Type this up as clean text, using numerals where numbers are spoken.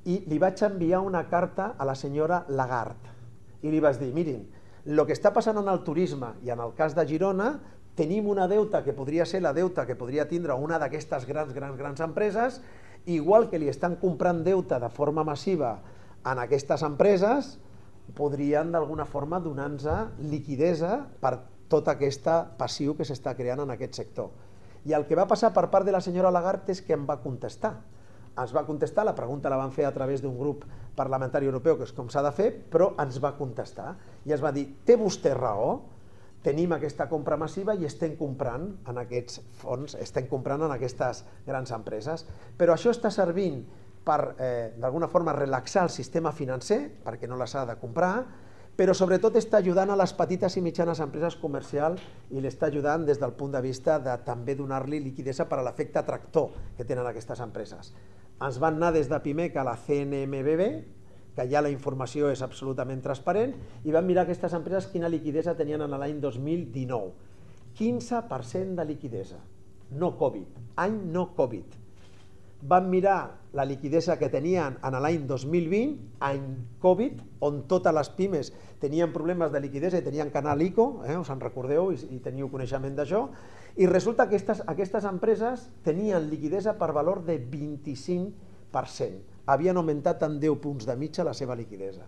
i li vaig enviar una carta a la senyora Lagarde i li vaig dir, mirin, el que està passant en el turisme i en el cas de Girona, tenim una deuta que podria ser la deuta que podria tindre una d'aquestes grans empreses, igual que li estan comprant deute de forma massiva en aquestes empreses, podrien d'alguna forma donar-nos liquidesa per tot aquest passiu que s'està creant en aquest sector. I el que va passar per part de la senyora Lagarde és que em va contestar. Ens va contestar, la pregunta la van fer a través d'un grup parlamentari europeu, que és com s'ha de fer, però ens va contestar i ens va dir, té vostè raó, tenim aquesta compra massiva i estem comprant en aquests fons, estem comprant en aquestes grans empreses, però això està servint per, d'alguna forma, relaxar el sistema financer, perquè no les ha de comprar, però sobretot està ajudant a les petites i mitjanes empreses comercials i l'està ajudant des del punt de vista de també donar-li liquidesa per a l'efecte tractor que tenen aquestes empreses. Ens van anar des de Pimec a la CNMBB, que ja la informació és absolutament transparent, i van mirar aquestes empreses quina liquidesa tenien en l'any 2019. 15% de liquidesa, no Covid, any no Covid. Van mirar la liquidesa que tenien en l'any 2020, any Covid, on totes les pimes tenien problemes de liquidesa i tenien que anar a l'ICO, us en recordeu i teniu coneixement d'això, i resulta que aquestes empreses tenien liquidesa per valor de 25%. Havien augmentat en 10 punts de mitja la seva liquidesa.